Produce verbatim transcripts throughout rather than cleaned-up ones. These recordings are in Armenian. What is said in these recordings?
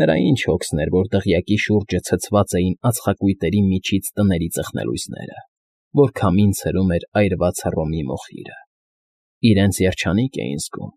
Նրա ինչ հոգսն էր, որ դղյակի շուրջը ցցված էին ածխակույտերի միջից տների ծխնելույսները, որ քամին ցրում էր այրված հռոմի մոխիրը, իրենց երջանիկ էին զգում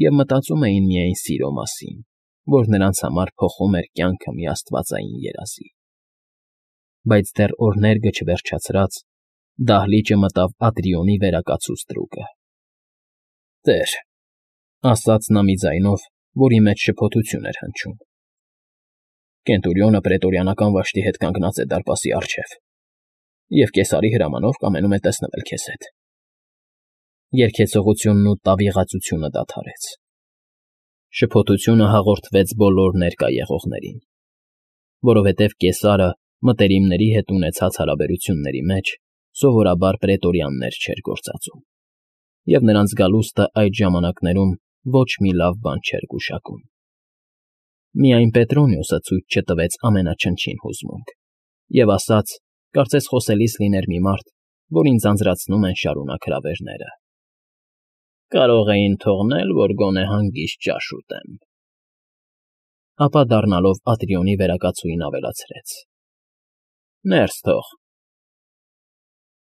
և մտածում էին միայն սիրո մասին, որ նրանց համար փոխում էր կյանքը մի աստվածային երազի։ Բայց դեռ օրներգը չվերջացրած, դահլիճը մտավ Ատրիոնի վերակացուց թրուկը։ ֊ Տեր,֊ ասաց նա մի ձայնով, որի մեջ շփոթություն էր հնչում,֊ Կենտուրիոնը պրետորիանական վաշտի հետ կանգնած է դարպասի առջև և կեսարի հրամանով կամենում է տեսնվել քեզ հետ… Երգեցողությունն ու տավիղածությունը դադարեց։ Շփոթությունը հաղորդվեց բոլոր ներկա եղողներին, որովհետև կեսարը մտերիմների հետ ունեցած հարաբերությունների մեջ սովորաբար պրետորիաններ չէր գործածում, և նրանց գալուստը այդ ժամանակներում ոչ մի լավ բան չէր գուշակում։ Միայն Պետրոնիոսը ցույց չտվեց ամենաչնչին հուզմունք և ասաց, կարծես խոսելիս լիներ մի մարդ, որին ձանձրացնում են շարունակ հրավերները. «Կարող էին թողնել, որ գոնե հանգիստ ճաշ ուտեմ»։ Ապա դառնալով Ատրիոնի վերակացուին ավելացրեց. «Ներս թող»։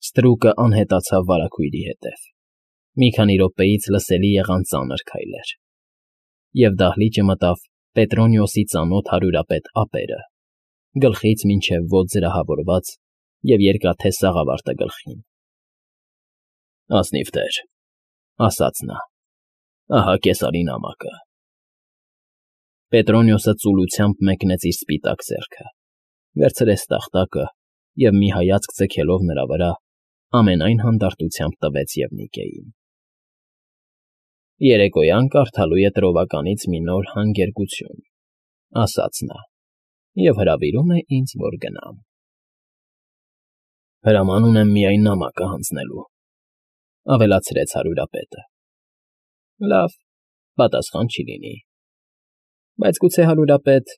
Ստրուկը անհետացավ վարագույրի հետև։ Մի քանի րոպեից լսելի եղան ծանր քայլեր, և դահլիճը մտավ Պետրոնիոսի ծանոթ հարյուրապետ ափերը, գլխից մինչև ոտք զրահավորված և երկաթե սաղավարտը գլխին։ ֊ Ազնիվ տեր,֊ ասաց նա,֊ ահա կեսարի նամակը։ Պետրոնիոսը ծուլությամբ մեկնեց իր սպիտակ ձեռքը, վերցրեց տախտակը և, մի հայացք ձգելով նրա վրա, ամենայն հանդարտությամբ տվեց Եվնիկեին։ ֊ Երեկոյան կարդալու է տրովականից մի նոր հանգերգություն,֊ ասաց նա,֊ և հրավիրում է ինձ, որ գնամ։ ֊ Հրաման ունեմ միայն նամակը հանձնելու,֊ ավելացրեց հարյուրապետը։ ֊ Լավ, պատասխան չի լինի, բայց գուցե, հարյուրապետ,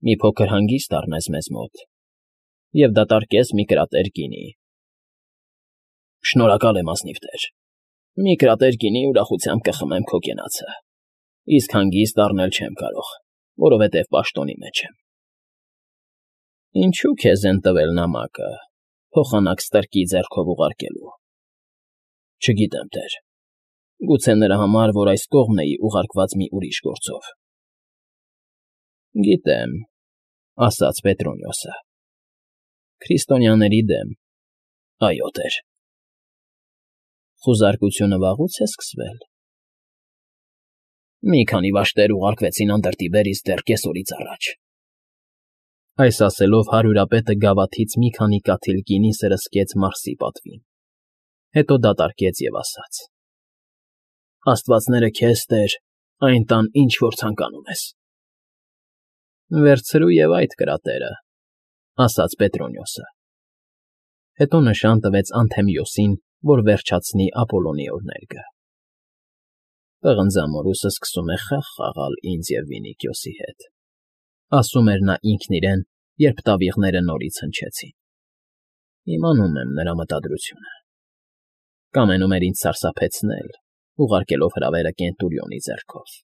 մի փոքր հանգիստ առնես մեզ մոտ և դատարկես մի կրատեր գինի։ ֊ Շնորհակալ եմ, ազնիվ տեր, մի կրատեր գինի ուրախությամբ կխմեմ քո կենացը, իսկ հանգիստ առնել չեմ կարող, որովհետև պաշտոնի մեջ եմ։ ֊ Ինչո՞ւ քեզ են տվել նամակը, փոխանակ ստրկի ձեռքով ուղարկելու։ ֊ Չգիտեմ, տեր, գուցե նրա համար, որ այս կողմն էի ուղարկված մի ուրիշ գործով։ ֊ Գիտեմ,֊ ասաց Պետրոնիոսը,֊ քրիստոնյաների դեմ, այո, տեր։ ֊ Խուզարկությունը վաղուց է սկսվել։ ֊ Մի քանի վաշտեր ուղարկվեցին անդրդիբերից դեռ կեսօրից առաջ։ Այս ասելով հարյուրապետը գավաթից մի քանի կաթիլ գինի սրսկեց Մարսի պատվին, հետո դատարկեց և ասաց. «Աստվածները քեզ, տեր, այն տան, ինչ որ ցանկանում ես»։ ֊ Վերցրու և այդ կրատերը,֊ ասաց Պետրոնիոսը։ Հետո նշան տվեց Անթեմիոսին, որ վերջացնի Ապոլոնի օրհներգը։ «Պղնձամորուսը սկսում է խաղ խաղալ ինձ և Վինիքիոսի հետ», ասում էր նա ինքն իրեն, երբ տավիղները նորից հնչեցին։ Իմանում եմ նրա մտադրությունը. կամենում էր ինձ սարսափեցնել, ուղարկելով հրավերը Կենտուրիոնի ձեռքով։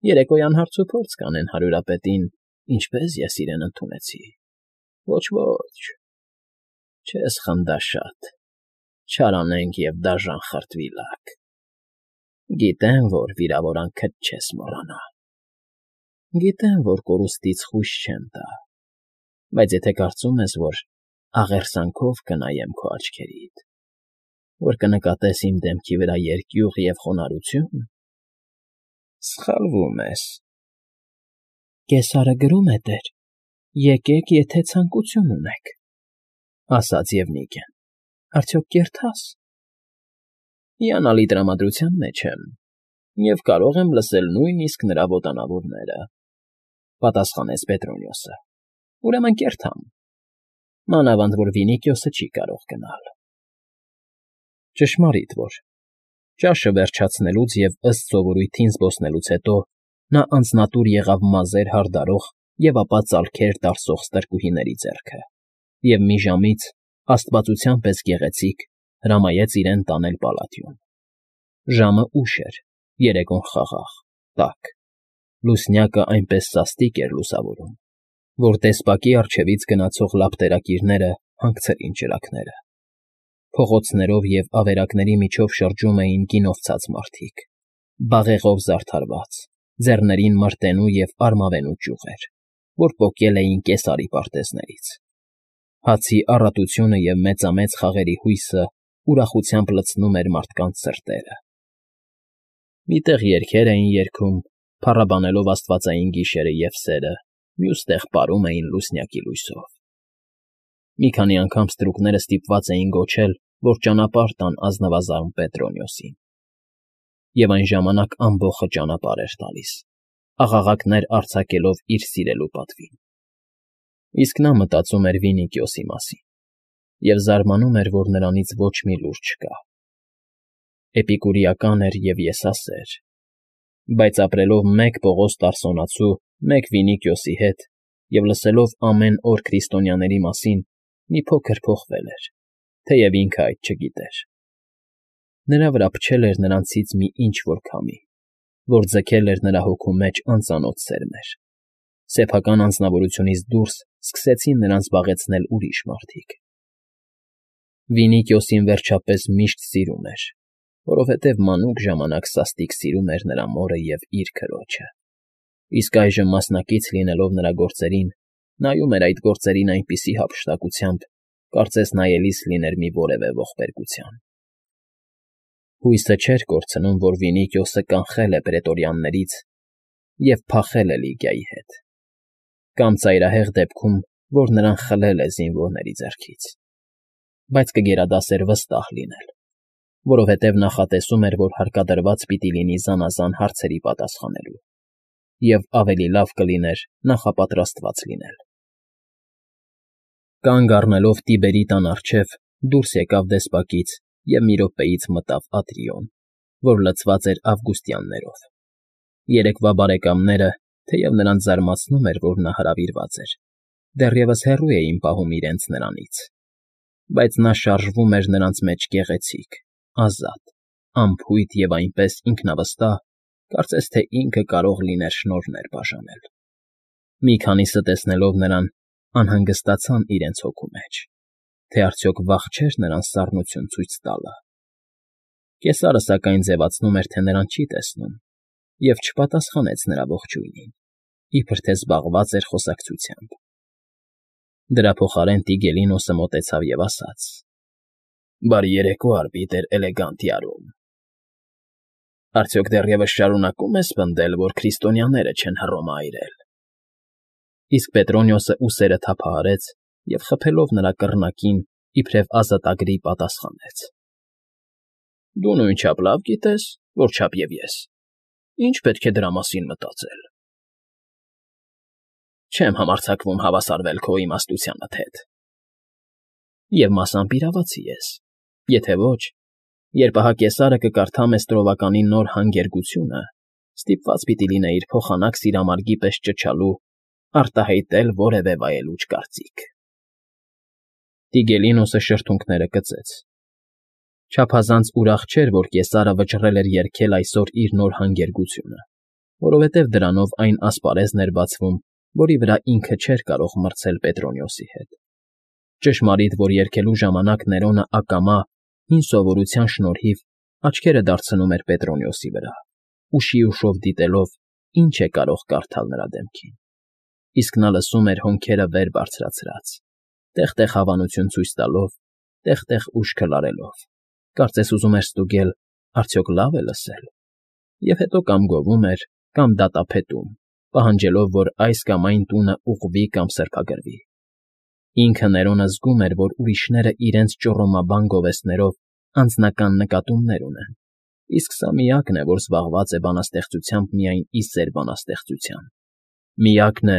Երեկոյան հարցուփորձ կանեն հարյուրապետին, ինչպես ես իրեն ընդունեցի։ Ոչ֊ոչ, չես խնդաշատ, չարանենգ և դաժան խրտվիլակ։ Գիտեմ, որ վիրավորանքդ չես մոռանա։ Գիտեմ, որ կորուստից խույս չեմ տա, բայց եթե կարծում ես, որ աղերսանքով կնայեմ քո աչքերիդ, որ կնկատես իմ դեմքի վրա երկյուղ և խոնարհություն, սխալվում ես։ ֊ Կեսարը գրում է, տեր, եկեք, եթե ցանկություն ունեք,֊ ասաց Եվնիկեն,֊ արդյոք կերթա՞ս։ ֊ Հիանալի տրամադրության մեջ եմ և կարող եմ լսել նույնիսկ նրա ոտանավորները,֊ պատասխանեց Պետրոնիոսը,֊ ուրեմն կերթամ, մանավանդ որ Վինիքիոսը չի կարող գնալ։ Ճշմարիտ որ, ճաշը վերջացնելուց և ըստ սովորույթին զբոսնելուց հետո նա անձնատուր եղավ մազեր հարդարող և ապա ծալքեր տարսող ստրկուհիների ձեռքը և մի ժամից, աստվածության պես գեղեցիկ, հրամայեց իրեն տանել պալատիոն։ Ժամը ուշ էր, երեկոն խաղաղ, տաք։ Լուսնյակը այնպես սաստիկ էր լուսավորում, որ տեսպակի առջևից գնացող լապտերակիրները հանգցրին ճրագները. փողոցներով և ավերակների միջով շրջում էին գինով ցած մարդիկ, բաղեղով զարդարված, ձեռներին մրտենու և արմավենու ճյուղեր, որ պոկել էին Կեսարի պարտեզներից. հացի առատությունը և մեծամեծ խաղերի հույսը ուրախությամբ լցնում էր մարդկանց սրտերը։ Մի տեղ երգեր էին երգում, փառաբանելով աստվածային գիշերը և սերը, մյուս տեղ պարում էին լուսնյակի լույսով։ Մի քանի անգամ ստրուկները ստիպված էին գոչել, որ ճանապարհ տան ազնվազան Պետրոնիոսին։ Եվ այն ժամանակ ամբոխը ճանապարհ էր տալիս, աղաղակներ արձակելով իր սիրելու պատվին։ Իսկ նա մտածում էր Վինիքիոսի մասին և զարմանում էր, որ նրանից ոչ մի լուր չկա։ Էպիկուրիական էր և եսասեր, բայց ապրելով մեկ Պողոս Տարսոնացու, մեկ Վինիքիոսի հետ և լսելով ամեն օր քրիստոնյաների մասին, մի փոքր փոխվել էր, թեև ինքը այդ չգիտեր։ Նրա վրա փչել էր նրանցից մի ինչ֊որ քամի, որ ձգել էր նրա հոգու մեջ անծանոթ սերմեր։ Սեփական անձնավորությունից դուրս սկսեցին նրան զբաղեցնել ուրիշ մարդիկ։ Վինիքիոսին վերջապես միշտ սիրում էր, որովհետև մանուկ ժամանակ սաստիկ սիրում էր նրա մորը և իր քրոջը, իսկ այժմ մասնակից լինելով նրա գործերին, նայում էր այդ գործերին այնպիսի հափշտակությամբ, կարծես նայելիս լիներ մի որևէ ողբերգության։ Հույսը չէր կորցնում, որ Վինիքիոսը կանխել է պրետորյաններից և փախել է Լիգիայի հետ, կամ ծայրահեղ դեպքում, որ նրան խլել է զինվորների ձեռքից, բայց կգերադասեր վստահ լինել, որովհետև նախատեսում էր, որ հարկադրված պիտի լինի զանազան հարցերի պատասխանելու, և ավելի լավ կլիներ նախապատրաստված լինել։ Կանգ առնելով Տիբերի տան առջև՝ դուրս եկավ դեսպակից և մի րոպեից մտավ Ատրիոն, որ լցված էր ավգուստյաններով։ Երեկվա բարեկամները, թեև նրանց զարմացնում էր, որ նա հրավիրված էր, դեռևս հեռու էին պահում իրենց նրանից, բայց նա շարժվում էր նրանց մեջ գեղեցիկ, ազատ, անփույթ և այնպես ինքնավստահ, կարծես թե ինքը կարող լիներ շնորհներ բաժանել։ Մի քանիսը տեսնելով նրան, անհանգստացան իրենց հոգու մեջ, թե արդյոք վաղ չէր նրան սառնություն ցույց տալը։ Կեսարը, սակայն, ձևացնում էր, թե նրան չի տեսնում, և չպատասխանեց նրա ողջույնին, իբր թե զբաղված էր խոսակցությամբ։ Դրա փոխարեն Տիգելինոսը մոտեցավ և ասաց. «Բարի երեկո, արբիտր Էլեգանտիարում… Արդյոք դեռևս շարունակո՞ւմ ես պնդել, որ քրիստոնյաները չեն Հռոմը այրել»։ Իսկ Պետրոնիոսը ուսերը թափահարեց և, խփելով նրա կռնակին, իբրև ազատագրի պատասխանեց. «Դու նույնչափ լավ գիտես, որչափ և ես. ինչ պետք է դրա մասին մտածել»։ Չեմ համարձակվում հավասարվել քո իմաստությանդ հետ։ Եվ մասամբ իրավացի ես, եթե ոչ, երբ ահա Կեսարը կկարդա մեզ տրովականի նոր հանգերգությունը, ստիպված պիտի լինեիր փոխանակ սիրամարգի պես ճչալու, արտահայտել որևէ վայելուչ կարծիք։ Տիգելինոսը շրթունքները կծեց։ Չափազանց ուրախ չէր, որ Կեսարը վճռել էր երգել այսօր իր նոր հանգերգությունը, որովհետև դրանով այն ասպարեզն էր բացվում, որի վրա ինքը չէր կարող մրցել Պետրոնիոսի հետ։ Ճշմարիտ, որ երգելու ժամանակ Ներոնը ակամա, հին սովորության շնորհիվ աչքերը դարձնում էր Պետրոնիոսի վրա, ուշիուշով դիտելով, ինչ է կարող կարդալ նրա դեմքին, իսկ նա լսում էր հոնքերը վեր բարձրացրած, տեղ֊տեղ հավանություն ցույց տալով, տեղ֊տեղ ուշքը լարելով, կարծես ուզում էր ստուգել՝ արդյոք լավ է լսել, և հետո կամ գովում էր, կամ դատապետում, պահանջելով, որ այս կամ այն տունը ուղղվի կամ սրբագրվի։ Ինքը Ներոնը զգում էր, որ ուրիշները իրենց ճոռոմաբան գովեստներով անձնական նկատումներ ունեն, իսկ սա միակն է, որ զբաղված է բանաստեղծությամբ միայն ի սեր բանաստեղծության, միակն է,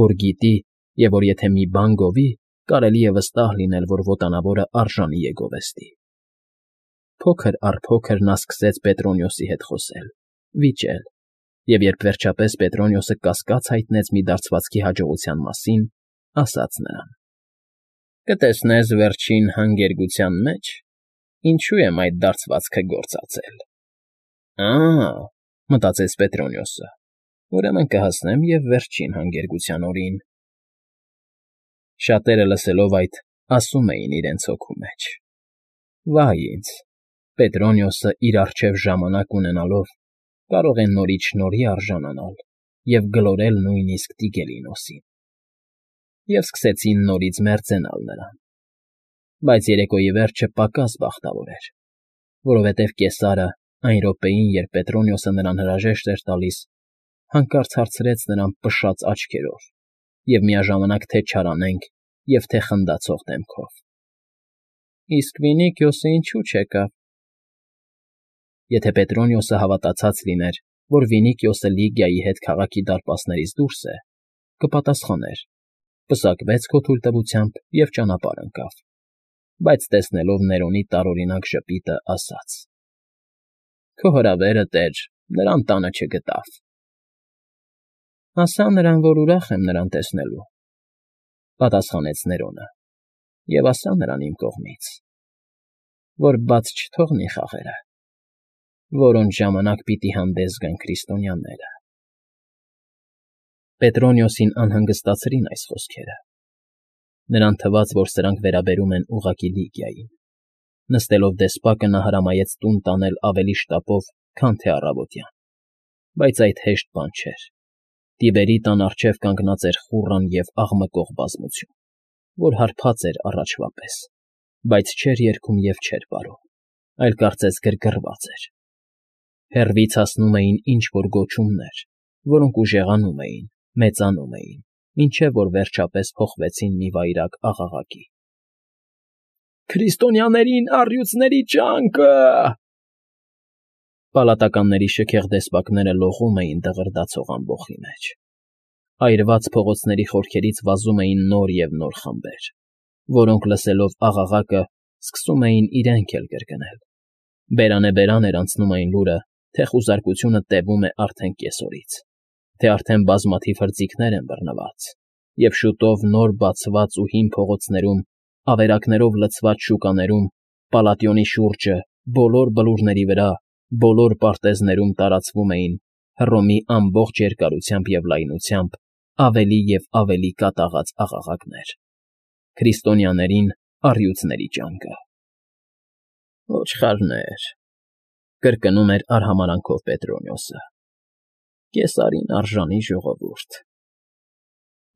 որ գիտի և որ եթե մի բան գովի, կարելի է վստահ լինել, որ վոտանավորը արժանի է գովեստի։ Փոքր առ փոքր նա սկսեց Պետրոնիոսի հետ խոսել, վիճել, և երբ վերջապես Պետրոնիոսը կասկած հայտնեց մի դարձվածքի հաջողության մասին, ասաց նրան. «Կտեսնես վերջին հանգերգության մեջ ինչու եմ այդ դարձվածքը գործածել»։ «Ա՜», մտածեց Պետրոնիոսը, Ուրեմն կհասնեմ և վերջին հանգերգության օրին։ Շատերը լսելով այդ, ասում էին իրենց հոգու մեջ. «Վա՜յ ինձ, Պետրոնիոսը իր առջև ժամանակ ունենալով կարող է նորից շնորհի արժանանալ և գլորել նույնիսկ Տիգելինոսին»։ Եվ սկսեցին նորից մերձենալ նրան։ Բայց երեկոյի վերջը պակաս բախտավոր էր, որովհետև կեսարը այն րոպեին, երբ Պետրոնիոսը նրան հրաժեշտ էր տալիս, հանկարծ հարցրեց նրան պշած աչքերով և միաժամանակ թե չարանենգ և թե խնդացող դեմքով. «Իսկ Վինիքիոսը ինչո՞ւ չեկավ»։ Եթե Պետրոնիոսը հավատացած լիներ, որ Վինիքիոսը Լիգիայի հետ քաղաքի դարպասներից դուրս է, կպատասխաներ. պսակվեց քո թույլտվությամբ և ճանապարհ ընկավ, բայց տեսնելով Ներոնի տարօրինակ ժպիտը, ասաց. «Քո հրավերը, տեր, նրան տանը չգտավ»։ «Ասա նրան, որ ուրախ եմ նրան տեսնելու», պատասխանեց Ներոնը, «և ասա նրան իմ կողմից, որ բաց չթողնի խաղերը, որոնց ժամանակ պիտի հանդես գան քրիստոնյաները»։ Պետրոնիոսին անհանգստացրին այս խոսքերը։ Նրան թվաց, որ սրանք վերաբերում են ուղղակի Լիգիային։ Նստելով դեսպակը նա հրամայեց տուն տանել ավելի շտապով, քան թե առավոտյան։ Բայց այդ հեշտ բան չէր։ Տիբերի տան առջև կանգնած էր խուռն և աղմկող բազմություն, որ հարբած էր առաջվա պես, բայց չէր երգում և չէր պարում, այլ կարծես գրգռված էր։ Հեռվից հասնում էին ինչ֊որ գոչումներ, որոնք ուժեղանում էին, մեծանում էին, մինչև որ վերջապես փոխվեցին մի վայրագ աղաղակի. «Քրիստոնյաներին առյուծների ճանկը»։ Պալատականների շքեղ դեսպակները լողում էին դղրդացող ամբոխի մեջ։ Այրված փողոցների խորքերից վազում էին նոր և նոր խմբեր, որոնք, լսելով աղաղակը, սկսում էին իրենք էլ կրկնել։ Բերանեբերան էր անցնում այն լուրը, թե խուզարկությունը տևում է արդեն կեսօրից, թե արդեն բազմաթիվ հրձիգներ են բռնված, և շուտով նոր բացված ու հին փողոցներում, ավերակներով լցված շուկաներում, Պալատիոնի շուրջը, բոլոր բլուրների վրա, բոլոր պարտեզներում տարածվում էին Հռոմի ամբողջ երկարությամբ և լայնությամբ ավելի և ավելի կատաղած աղաղակներ. «Քրիստոնյաներին առյուծների ճանկը»։ «Ոչխարներ», կրկնում էր արհամարհանքով Պետրոնիոսը, «Կեսարին արժանի ժողովուրդ»։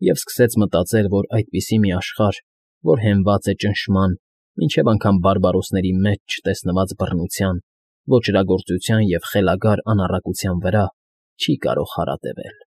Եվ սկսեց մտածել, որ այդպիսի մի աշխարհ, որ հենված է ճնշման, մինչև անգամ բարբարոսների մեջ չտեսնված բռնության, ոճրագործության և խելագար անառակության վրա, չի կարող հարատևել։